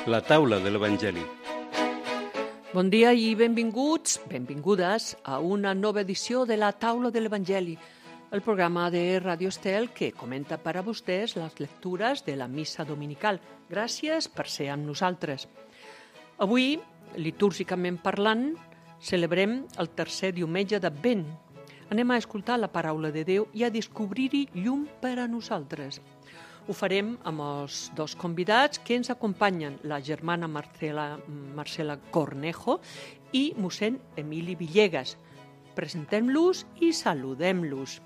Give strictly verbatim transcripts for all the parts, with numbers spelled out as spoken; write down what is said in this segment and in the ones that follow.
La taula de l'Evangeli. Bon dia i benvinguts, benvingudes a una nova edició de la taula de l'Evangeli, el programa de Ràdio Estel que comenta per a vostès les lectures de la missa dominical. Gràcies per ser amb nosaltres. Avui, litúrgicament parlant, celebrem el tercer diumenge d'Advent. Anem a escoltar la paraula de Déu i a descobrir-hi llum per a nosaltres. Ho farem amb els dos convidats que ens acompanyen, la germana Marcela, Marcela Cornejo i mossèn Emili Villegas. Presentem-los i saludem-los.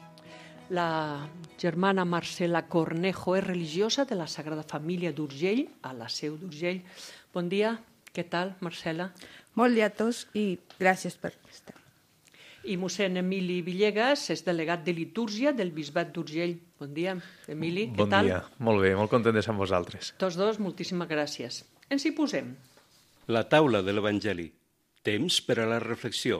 La germana Marcela Cornejo és religiosa de la Sagrada Família d'Urgell, a la Seu d'Urgell. Bon dia, què tal, Marcela? Molt dia a tots i gràcies per estar. I mossèn Emili Villegas és delegat de litúrgia del Bisbat d'Urgell. Bon dia, Emili, què bon tal? Bon dia, molt bé, molt content de ser amb vosaltres. Tots dos, moltíssimes gràcies. Ens hi posem. La taula de l'Evangeli. Temps per a la reflexió.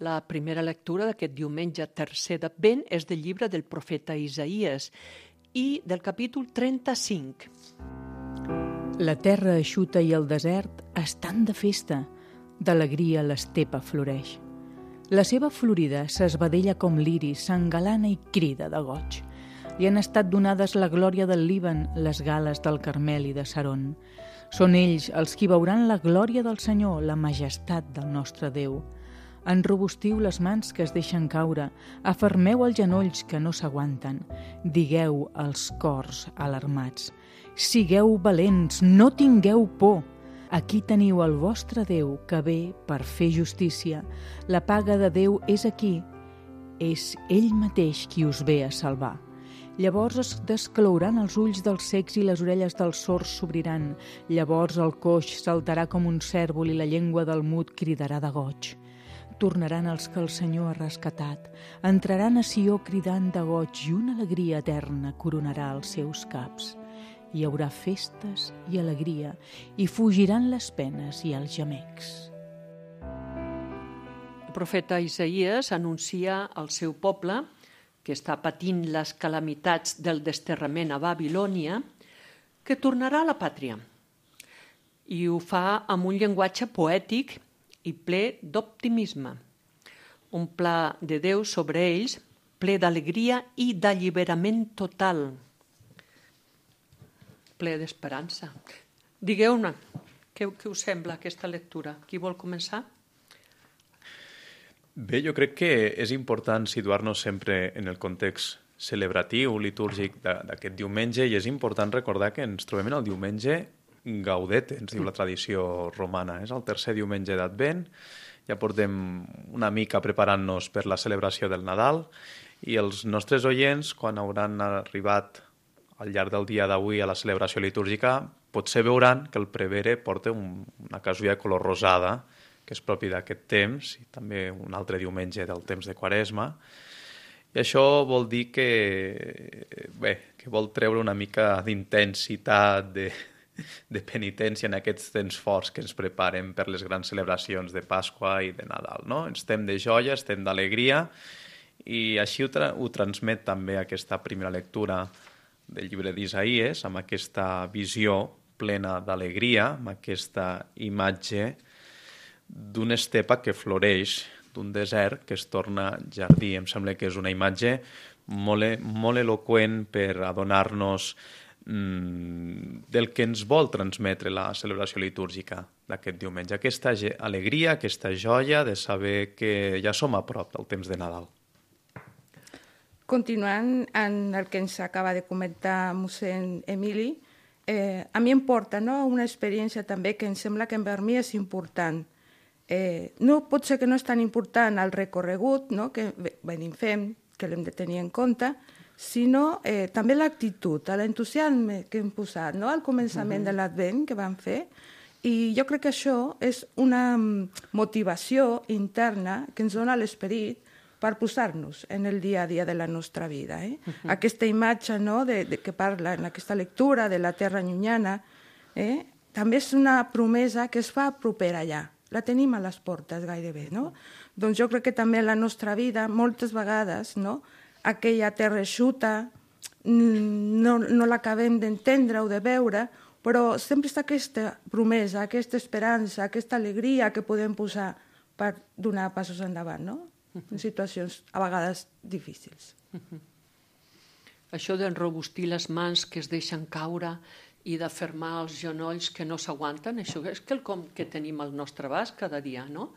La primera lectura d'aquest diumenge tercer d'Advent és del llibre del profeta Isaïes i del capítol trenta-cinc. La terra eixuta i el desert estan de festa, d'alegria l'estepa floreix. La seva florida s'esvedella com l'iris, s'engalana i crida de goig. Li han estat donades la glòria del Líban, les gales del Carmel i de Saron. Són ells els qui veuran la glòria del Senyor, la majestat del nostre Déu. Enrobustiu les mans que es deixen caure, afermeu els genolls que no s'aguanten, digueu als cors alarmats. Sigueu valents, no tingueu por. Aquí teniu el vostre Déu que ve per fer justícia. La paga de Déu és aquí. És ell mateix qui us ve a salvar. Llavors es desclouran els ulls dels cecs i les orelles dels sords s'obriran. Llavors el coix saltarà com un cèrvol i la llengua del mut cridarà de goig. Tornaran els que el Senyor ha rescatat. Entraran a Sió cridant de goig i una alegria eterna coronarà els seus caps. Hi haurà festes i alegria, i fugiran les penes i els gemecs. El profeta Isaïes anuncia al seu poble, que està patint les calamitats del desterrament a Babilònia, que tornarà a la pàtria. I ho fa amb un llenguatge poètic i ple d'optimisme. Un pla de Déu sobre ells, ple d'alegria i d'alliberament total, ple d'esperança. Digueu-ne, què, què us sembla aquesta lectura? Qui vol començar? Bé, jo crec que és important situar-nos sempre en el context celebratiu, litúrgic d'aquest diumenge, i és important recordar que ens trobem en el diumenge Gaudete, ens diu la tradició romana. És el tercer diumenge d'Advent, ja portem una mica preparant-nos per la celebració del Nadal, i els nostres oients, quan hauran arribat al llarg del dia d'avui a la celebració litúrgica, potser veuran que el prevere porta un, una casulla de color rosada, que és propi d'aquest temps, i també un altre diumenge del temps de Quaresma. I això vol dir que, bé, que vol treure una mica d'intensitat, de, de penitència en aquests temps forts que ens preparen per les grans celebracions de Pasqua i de Nadal, no? Estem de joia, estem d'alegria, i així ho, tra- ho transmet també aquesta primera lectura del llibre d'Isaïes, amb aquesta visió plena d'alegria, amb aquesta imatge d'una estepa que floreix, d'un desert que es torna jardí. Em sembla que és una imatge molt, molt eloqüent per adonar-nos mmm, del que ens vol transmetre la celebració litúrgica d'aquest diumenge. Aquesta alegria, aquesta joia de saber que ja som a prop del temps de Nadal. Continuant en el que ens acaba de comentar mossèn Emili, eh, a mi em porta, no, una experiència també que em sembla que per mi és important. Eh, no pot ser que no és tan important el recorregut, no, que venim fem, que l'hem de tenir en compte, sinó eh, també l'actitud, l'entusiasme que hem posat, no, al començament uh-huh. de l'Advent que vam fer, i jo crec que això és una motivació interna que ens dona l'esperit per posar-nos en el dia a dia de la nostra vida. Eh? Uh-huh. Aquesta imatge, no, de, de, que parla en aquesta lectura de la terra llunyana, eh? també és una promesa que es fa propera allà. La tenim a les portes gairebé. No? Doncs jo crec que també en la nostra vida, moltes vegades, no, aquella terra eixuta no, no l'acabem d'entendre o de veure, però sempre està aquesta promesa, aquesta esperança, aquesta alegria que podem posar per donar passos endavant, no? En situacions a vegades difícils. Això d'enrobustir les mans que es deixen caure i d'afermar els genolls que no s'aguanten, això és quelcom que tenim al nostre abast cada dia, no?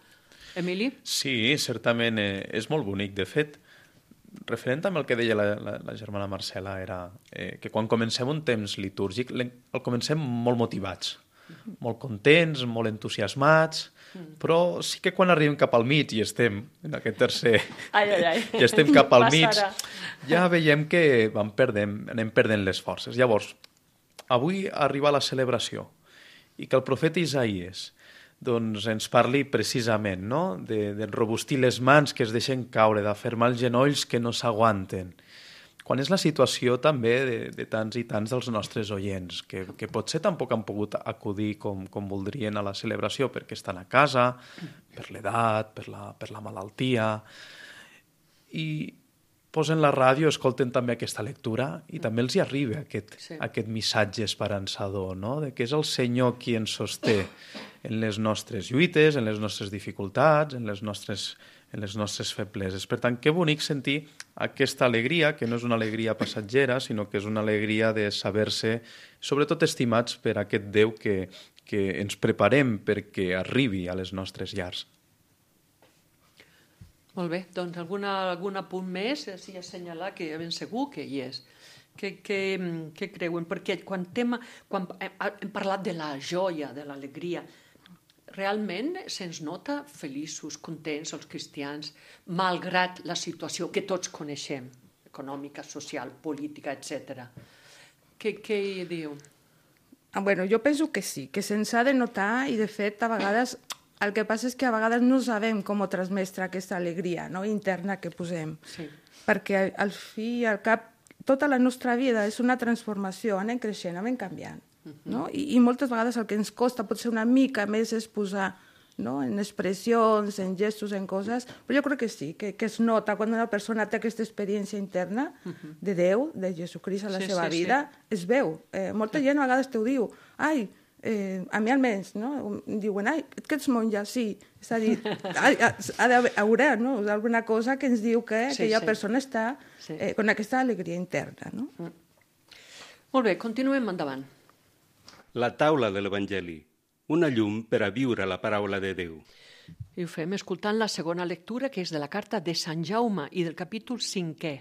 Emili? Sí, certament, eh, és molt bonic. De fet, referent amb el que deia la, la, la germana Marcela, era eh, que quan comencem un temps litúrgic el comencem molt motivats, molt contents, molt entusiasmats, però sí que quan arribem cap al mig i estem en aquest tercer... Ai, ai, ai. I estem cap al mig, Passarà. ja veiem que vam perdent, anem perdent les forces. Llavors, avui arriba la celebració i que el profeta Isaïes doncs, ens parli precisament, no? de, de robustir les mans que es deixen caure, d'afermar els genolls que no s'aguanten. Quan és la situació també de, de tants i tants dels nostres oients, que, que potser tampoc han pogut acudir com, com voldrien a la celebració perquè estan a casa, per l'edat, per la, per la malaltia, i posen la ràdio, escolten també aquesta lectura i també els hi arriba aquest, Sí. aquest missatge esperançador, no? De que és el Senyor qui ens sosté en les nostres lluites, en les nostres dificultats, en les nostres, en les nostres febleses. Per tant, que bonic sentir aquesta alegria, que no és una alegria passatgera, sinó que és una alegria de saber-se, sobretot estimats per aquest Déu que, que ens preparem perquè arribi a les nostres llars. Molt bé, doncs alguna, algun apunt més, així assenyalar que ben segur que hi és. Què, què, què creuen? Perquè quan, tema, quan hem, hem parlat de la joia, de l'alegria, realment se'ns nota feliços, contents, els cristians, malgrat la situació que tots coneixem, econòmica, social, política, etcètera. Què, què hi diu? Ah, bueno, jo penso que sí, que se'ns ha de notar i, de fet, a vegades... El que passa és que a vegades no sabem com transmetre aquesta alegria, no? Interna que posem. Sí. Perquè al fi i al cap tota la nostra vida és una transformació, anem creixent, anem canviant. No? I, I moltes vegades el que ens costa potser una mica més és posar, no? En expressions, en gestos, en coses, però jo crec que sí, que, que es nota quan una persona té aquesta experiència interna de Déu, de Jesucrist a la Sí, seva sí, vida, es veu. Eh, molta gent a vegades t'ho diu, ai, Eh, a mi almenys, no? Em diuen, ai, que ets monja, sí. És a dir, ha, ha d'haver no? alguna cosa que ens diu que, Sí, que aquella sí. persona està Sí. eh, amb aquesta alegria interna. No? Molt bé, continuem endavant. La taula de l'Evangeli, una llum per a viure la paraula de Déu. I ho fem escoltant la segona lectura, que és de la carta de Sant Jaume i del capítol cinquè.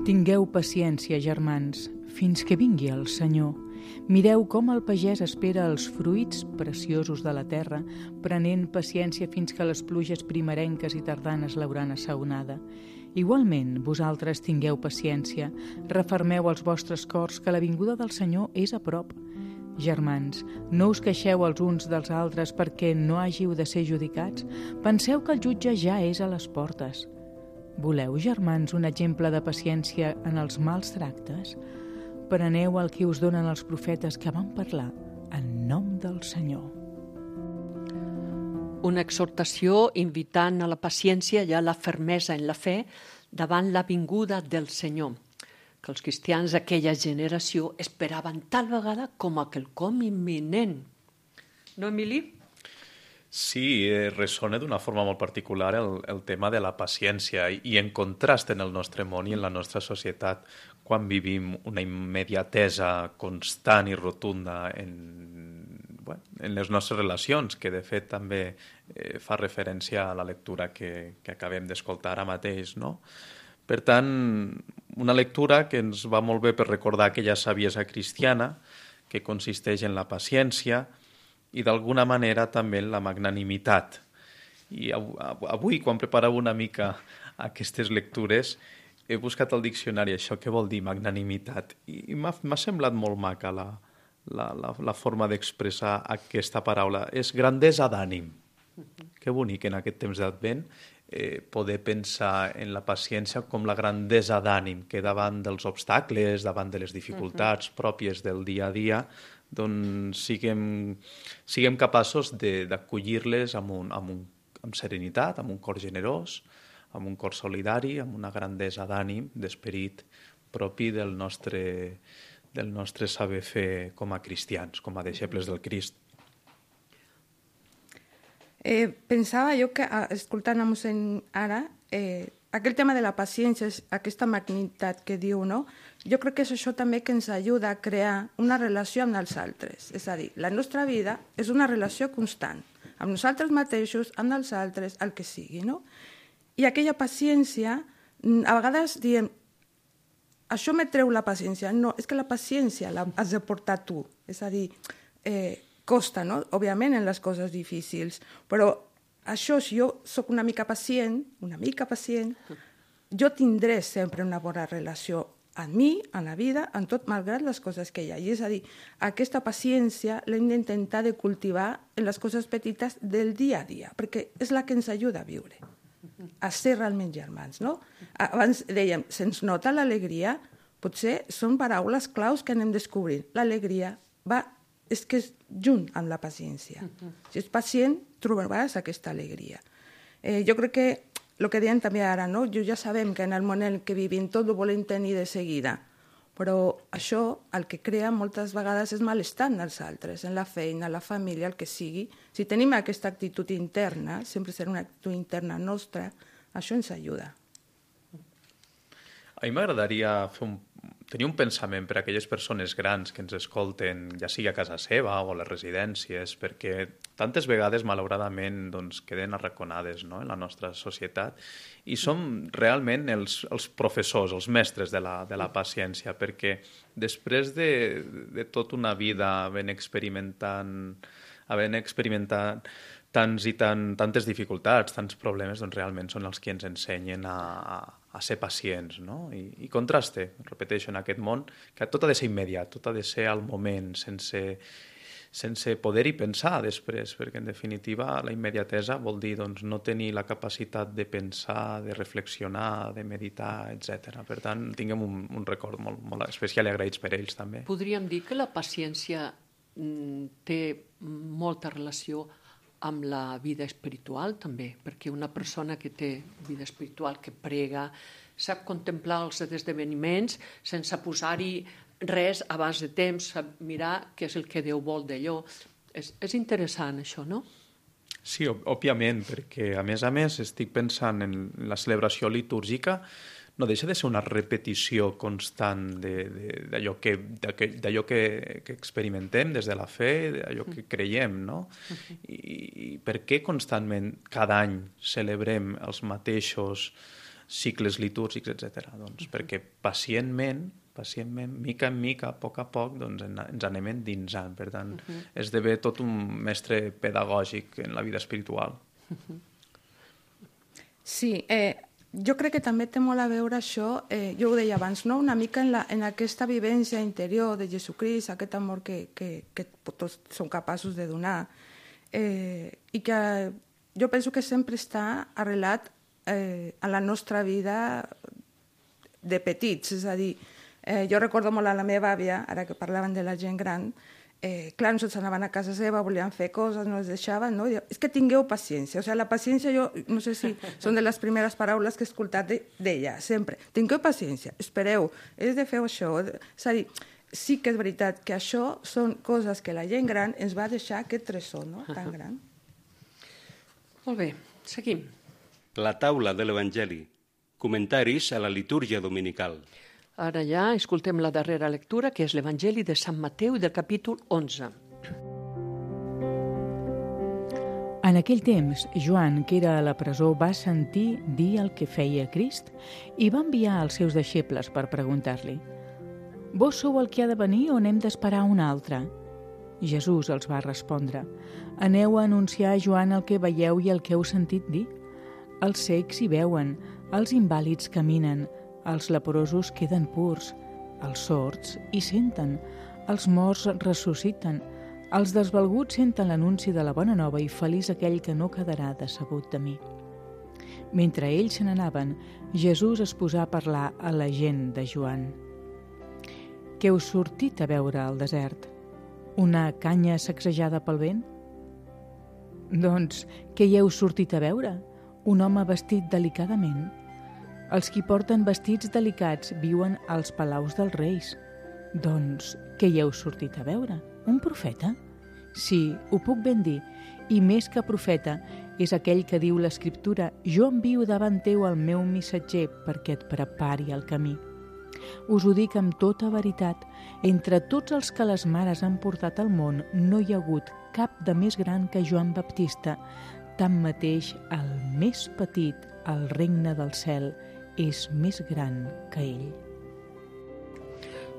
Tingueu paciència, germans, fins que vingui el Senyor. Mireu com el pagès espera els fruits preciosos de la terra, prenent paciència fins que les pluges primerenques i tardanes l'hauran assaonada. Igualment, vosaltres tingueu paciència, refermeu els vostres cors que la vinguda del Senyor és a prop. Germans, no us queixeu els uns dels altres perquè no hàgiu de ser judicats. Penseu que el jutge ja és a les portes. Voleu, germans, un exemple de paciència en els mals tractes? Preneu el que us donen els profetes que van parlar en nom del Senyor. Una exhortació invitant a la paciència i a la fermesa en la fe davant la vinguda del Senyor, que els cristians d'aquella generació esperaven tal vegada com a quelcom imminent. No, Emili? Sí, eh, ressona d'una forma molt particular el, el tema de la paciència i, i en contrast en el nostre món i en la nostra societat quan vivim una immediatesa constant i rotunda en, bueno, en les nostres relacions, que de fet també eh, fa referència a la lectura que, que acabem d'escoltar ara mateix, no? Per tant, una lectura que ens va molt bé per recordar aquella saviesa cristiana que consisteix en la paciència i d'alguna manera també en la magnanimitat. I avui, quan preparava una mica aquestes lectures, he buscat al diccionari això, què vol dir magnanimitat, i m'ha semblat molt maca la, la, la, la forma d'expressar aquesta paraula. És grandesa d'ànim. Que bonic en aquest temps d'Advent eh, poder pensar en la paciència com la grandesa d'ànim, que davant dels obstacles, davant de les dificultats pròpies del dia a dia, doncs siguem, siguem capaços d'acollir-les amb, un, amb, un, amb serenitat, amb un cor generós, amb un cor solidari, amb una grandesa d'ànim, d'esperit propi del nostre, del nostre saber fer com a cristians, com a deixebles del Crist. Eh, pensava jo que, escoltant a mossèn ara, eh, aquell tema de la paciència, aquesta magnitat que diu, no? Jo crec que és això també que ens ajuda a crear una relació amb els altres. És a dir, la nostra vida és una relació constant, amb nosaltres mateixos, amb els altres, el que sigui, no? I aquella paciència, a vegades diem, això me treu la paciència. No, és que la paciència la has de portar tu. És a dir, eh, costa, no? Òbviament, en les coses difícils, però això, si jo sóc una mica pacient, una mica pacient, jo tindré sempre una bona relació amb mi, en la vida, en tot, malgrat les coses que hi ha. I és a dir, aquesta paciència l'hem d'intentar de cultivar en les coses petites del dia a dia, perquè és la que ens ajuda a viure, a ser realment germans, no? Abans dèiem, se'ns nota l'alegria, potser són paraules claus que anem descobrint. L'alegria va, és que és junt amb la paciència. Si ets pacient, trobaràs aquesta alegria. Eh, jo crec que el que deien també ara, no? Jo ja sabem que en el món en què vivim tot ho volem tenir de seguida, però això el que crea moltes vegades és malestar en els altres, en la feina, en la família, el que sigui. Si tenim aquesta actitud interna, sempre serà una actitud interna nostra, això ens ajuda. A mi m'agradaria fer un, tenir un pensament per a aquelles persones grans que ens escolten, ja sigui a casa seva o a les residències, perquè tantes vegades, malauradament, doncs, queden arraconades, no?, en la nostra societat, i som realment els, els professors, els mestres de la, de la paciència, perquè després de, de tota una vida havent experimentant, havent experimentat tants i tant, tantes dificultats, tants problemes, doncs realment són els que ens ensenyen a, a, a ser pacients, no? I, i contraste, repeteixo, en aquest món, que tot ha de ser immediat, tot ha de ser al moment, sense, sense poder-hi pensar després, perquè en definitiva la immediatesa vol dir doncs, no tenir la capacitat de pensar, de reflexionar, de meditar, etcètera. Per tant, tinguem un, un record molt, molt especial i agraïts per ells també. Podríem dir que la paciència mm, té molta relació amb la vida espiritual també, perquè una persona que té vida espiritual, que prega, sap contemplar els esdeveniments sense posar-hi res abans de temps, sap mirar què és el que Déu vol d'allò. És, és interessant això, no? Sí, òbviament, perquè a més a més estic pensant en la celebració litúrgica, no deixa de ser una repetició constant d'allò que, d'allò que, que experimentem des de la fe, d'allò que creiem, no? I, i per què constantment cada any celebrem els mateixos cicles litúrgics, etcètera? Doncs perquè pacientment, pacientment, mica en mica, a poc a poc, doncs ens anem endinsant. Per tant, uh-huh. esdevé tot un mestre pedagògic en la vida espiritual. Uh-huh. Sí, eh, jo crec que també té molt a veure això, eh, jo ho deia abans, no? Una mica en, la, en aquesta vivència interior de Jesucrist, aquest amor que, que, que tots som capaços de donar, eh, i que jo penso que sempre està arrelat eh, a la nostra vida de petits, és a dir, eh, jo recordo molt a la meva àvia, ara que parlaven de la gent gran, Eh, clar, nosaltres anaven a casa seva, volien fer coses, no els deixaven, no? És que tingueu paciència. O sigui, la paciència, jo no sé si són de les primeres paraules que he escoltat d'ella, sempre. Tingueu paciència, espereu, és de fer això. És a dir, sí que és veritat que això són coses que la gent gran ens va deixar aquest tresor, no?, tan gran. Molt bé, seguim. La taula de l'Evangeli. Comentaris a la litúrgia dominical. Ara ja escoltem la darrera lectura, que és l'Evangeli de Sant Mateu del capítol onze. En aquell temps, Joan, que era a la presó, va sentir dir el que feia Crist i va enviar els seus deixebles per preguntar-li: «Vos sou el que ha de venir o n'hem d'esperar un altre?» Jesús els va respondre: «Aneu a anunciar a Joan el que veieu i el que heu sentit dir. Els cecs hi veuen, els invàlids caminen, els leprosos queden purs, els sords hi senten, els morts ressusciten, els desvalguts senten l'anunci de la bona nova i feliç aquell que no quedarà decebut de mi». Mentre ells se n'anaven, Jesús es posà a parlar a la gent de Joan. «Què heu sortit a veure al desert? Una canya sacsejada pel vent? Doncs, què hi heu sortit a veure? Un home vestit delicadament? Els qui porten vestits delicats viuen als palaus dels reis. Doncs, què hi heu sortit a veure? Un profeta? Sí, ho puc ben dir, i més que profeta, és aquell que diu l'Escriptura: jo envio davant teu el meu missatger perquè et prepari el camí. Us ho dic amb tota veritat, entre tots els que les mares han portat al món no hi ha hagut cap de més gran que Joan Baptista. Tanmateix, el més petit, al regne del cel, és més gran que ell.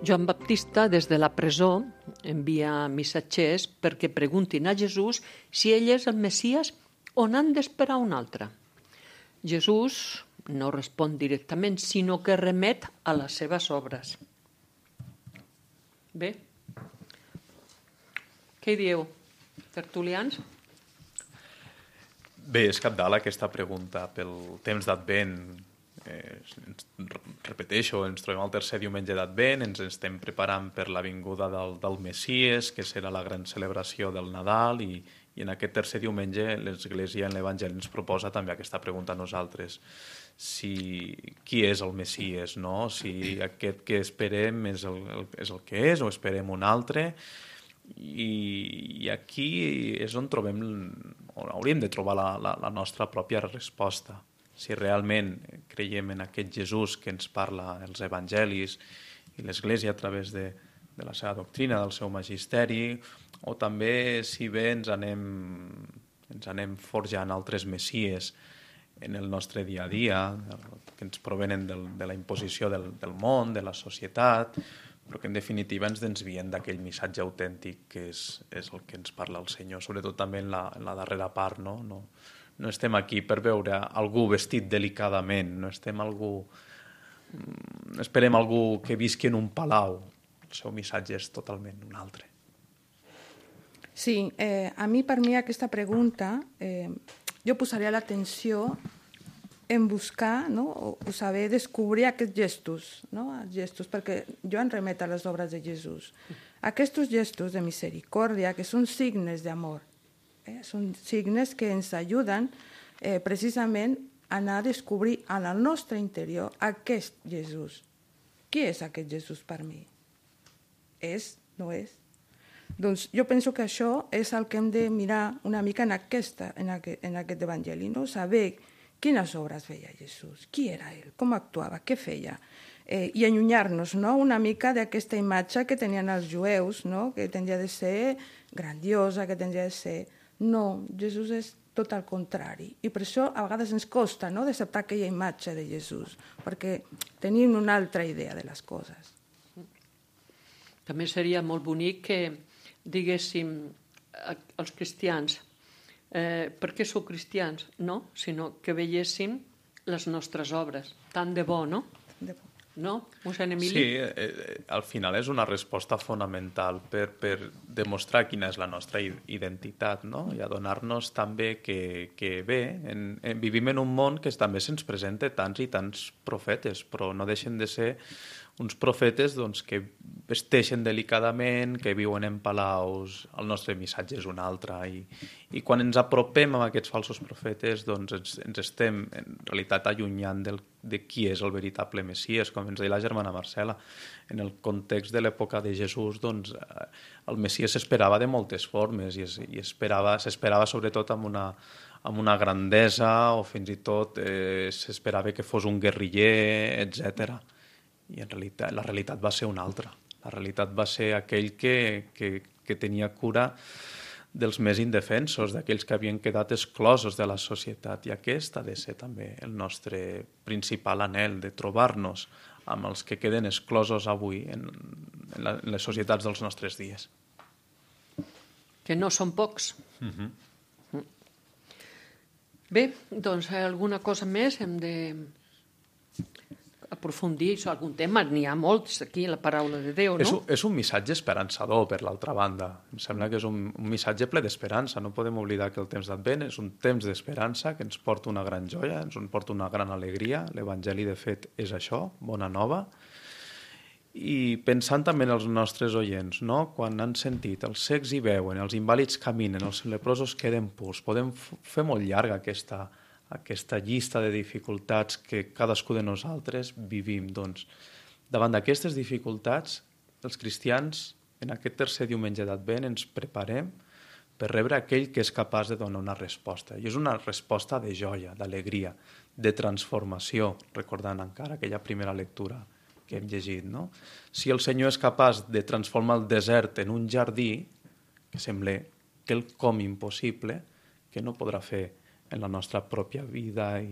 Joan Baptista, des de la presó, envia missatgers perquè preguntin a Jesús si ell és el Messies o n'han d'esperar un altre. Jesús no respon directament, sinó que remet a les seves obres. Bé, què hi dieu, tertulians? Bé, és cabdal aquesta pregunta pel temps d'Advent. Eh, repeteixo, ens trobem al tercer diumenge d'Advent, ens estem preparant per la vinguda del, del Messies, que serà la gran celebració del Nadal, i, i en aquest tercer diumenge l'Església en l'Evangeli ens proposa també aquesta pregunta a nosaltres. Si, qui és el Messies, no? Si aquest que esperem és el, el, és el que és o esperem un altre. I, i aquí és on trobem, on hauríem de trobar la, la, la nostra pròpia resposta. Si realment creiem en aquest Jesús que ens parla els evangelis i l'Església a través de, de la seva doctrina, del seu magisteri, o també si bé ens anem, ens anem forjant altres messies en el nostre dia a dia, que ens provenen del, de la imposició del, del món, de la societat, però que en definitiva ens desvien d'aquell missatge autèntic que és, és el que ens parla el Senyor, sobretot també en la, en la darrera part, no? No, no estem aquí per veure algú vestit delicadament, no estem algú... No esperem algú que visqui en un palau. El seu missatge és totalment un altre. Sí, eh, a mi, per mi, aquesta pregunta, eh, jo posaria l'atenció en buscar, no? o saber descobrir aquests gestos, no? Els gestos, perquè jo em remet a les obres de Jesús. Aquests gestos de misericòrdia, que són signes d'amor, eh? són signes que ens ajuden eh, precisament a anar a descobrir en el nostre interior aquest Jesús. Qui és aquest Jesús per mi? És? No és? Doncs jo penso que això és el que hem de mirar una mica en, aquesta, en, aquest, en aquest evangeli, no? Saber quines obres feia Jesús, qui era ell, com actuava, què feia, eh, i allunyar-nos, no? una mica d'aquesta imatge que tenien els jueus, no? Que tendria de ser grandiosa, que tendria de ser... No, Jesús és tot el contrari, i per això a vegades ens costa, no? d'acceptar aquella imatge de Jesús, perquè tenim una altra idea de les coses. També seria molt bonic que diguéssim als cristians eh, per què sou cristians, no? Sinó que veiéssim les nostres obres, tant de bo, no? De bo. No, mossèn Emili? Sí, eh, al final és una resposta fonamental per, per demostrar quina és la nostra identitat, no? I adonar-nos també que, que bé, en, en, vivim en un món que també se'ns presenta tants i tants profetes, però no deixen de ser uns profetes doncs, que vesteixen delicadament, que viuen en palaus, el nostre missatge és un altre. I, i quan ens apropem a aquests falsos profetes, doncs ens, ens estem en realitat allunyant del, de qui és el veritable Messies, com ens deia la germana Marcela. En el context de l'època de Jesús, doncs, el Messies s'esperava de moltes formes i, es, i esperava, s'esperava sobretot amb una, amb una grandesa, o fins i tot eh, s'esperava que fos un guerriller, etcètera. I en realitat, la realitat va ser una altra. La realitat va ser aquell que, que, que tenia cura dels més indefensos, d'aquells que havien quedat exclosos de la societat. I aquest ha de ser també el nostre principal anhel, de trobar-nos amb els que queden exclosos avui en, en, la, en les societats dels nostres dies. Que no són pocs. Uh-huh. Bé, doncs alguna cosa més hem de... aprofundir sobre algun tema, n'hi ha molts aquí, la paraula de Déu, no? És un, és un missatge esperançador, per l'altra banda. Em sembla que és un, un missatge ple d'esperança. No podem oblidar que el temps d'Advent és un temps d'esperança que ens porta una gran joia, ens porta una gran alegria. L'Evangeli, de fet, és això, bona nova. I pensant també en els nostres oients, no? Quan han sentit els cecs hi veuen, els invàlids caminen, els leprosos queden purs, podem fer molt llarga aquesta aquesta llista de dificultats que cadascú de nosaltres vivim. Doncs, davant d'aquestes dificultats, els cristians, en aquest tercer diumenge d'Advent, ens preparem per rebre aquell que és capaç de donar una resposta. I és una resposta de joia, d'alegria, de transformació, recordant encara aquella primera lectura que hem llegit, no? Si el Senyor és capaç de transformar el desert en un jardí, que sembla quelcom impossible, que no podrà fer en la nostra pròpia vida i,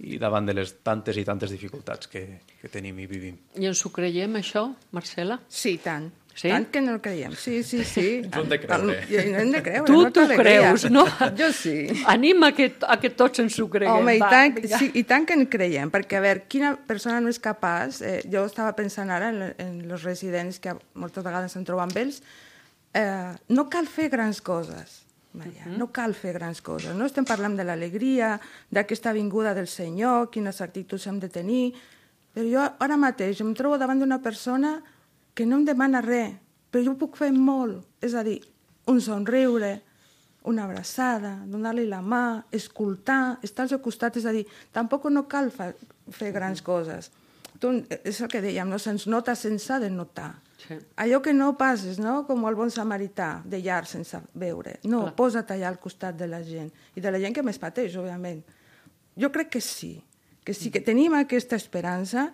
i davant de les tantes i tantes dificultats que, que tenim i vivim. I ens ho creiem, això, Marcela? Sí, tant. Sí? Tant que no el creiem. Sí, sí, sí. Ens ho hem de creure. El, hem de creure. Tu no t'ho creus, no? Jo sí. Anima que, a que tots ens ho creguem. Home, i va, tant, vinga. sí, i tant que en creiem, perquè, a veure, quina persona no és capaç... Eh, jo estava pensant ara en, en els residents que moltes vegades se'n troben amb ells. Eh, no cal fer grans coses, Maria, uh-huh. no cal fer grans coses. No estem parlant de l'alegria, d'aquesta vinguda del Senyor, quines actituds hem de tenir, però jo ara mateix em trobo davant d'una persona que no em demana res, però jo puc fer molt, és a dir, un somriure, una abraçada, donar-li la mà, escoltar, estar al seu costat, és a dir, tampoc no cal fa, fer grans coses. Tu, és el que dèiem, no? Se'ns nota sense de notar. Sí. Allò que no passes, no? Com el bon samarità, de llarg sense veure. No, clar. Posa't allà al costat de la gent, i de la gent que més pateix, òbviament. Jo crec que sí, que sí, que tenim aquesta esperança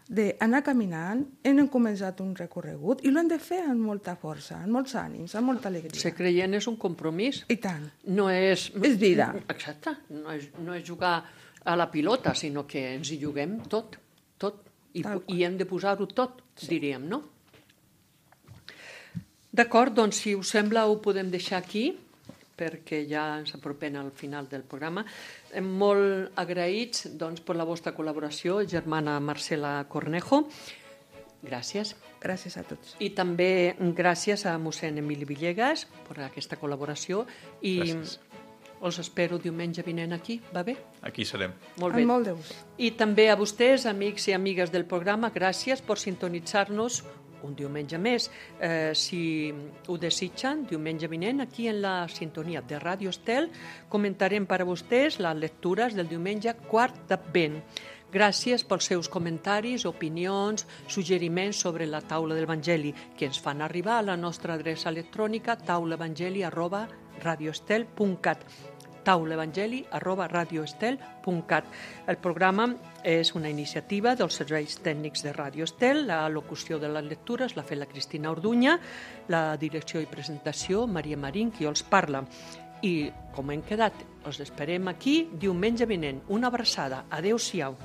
d'anar caminant, hem començat un recorregut i l'hem de fer amb molta força, amb molts ànims, amb molta alegria. Ser creient és un compromís. I tant. No és... És vida. Exacte. No és, no és jugar a la pilota, sinó que ens hi juguem tot, tot. I, i hem de posar-ho tot, sí. diríem, no? D'acord, doncs, si us sembla, ho podem deixar aquí, perquè ja ens apropem al final del programa. Molt agraïts doncs, per la vostra col·laboració, germana Marcela Cornejo. Gràcies. Gràcies a tots. I també gràcies a mossèn Emili Villegas per aquesta col·laboració. I gràcies. Els espero diumenge vinent aquí, va bé? Aquí serem. Molt bé. Amb molt de gust. I també a vostès, amics i amigues del programa, gràcies per sintonitzar-nos un diumenge més. Eh, si ho desitgen, diumenge vinent, aquí en la sintonia de Ràdio Estel, comentarem per a vostès les lectures del diumenge quart d'Advent. Gràcies pels seus comentaris, opinions, suggeriments sobre la taula de l'Evangeli, que ens fan arribar a la nostra adreça electrònica taulaevangeli arroba radioestel punt cat. taulaevangeli arroba radioestel punt cat. El programa és una iniciativa dels serveis tècnics de Ràdio Estel. La locució de les lectures l'ha fet la Cristina Orduña, la direcció i presentació Maria Marín, qui els parla. I, com hem quedat, els esperem aquí diumenge vinent. Una abraçada. Adéu-siau.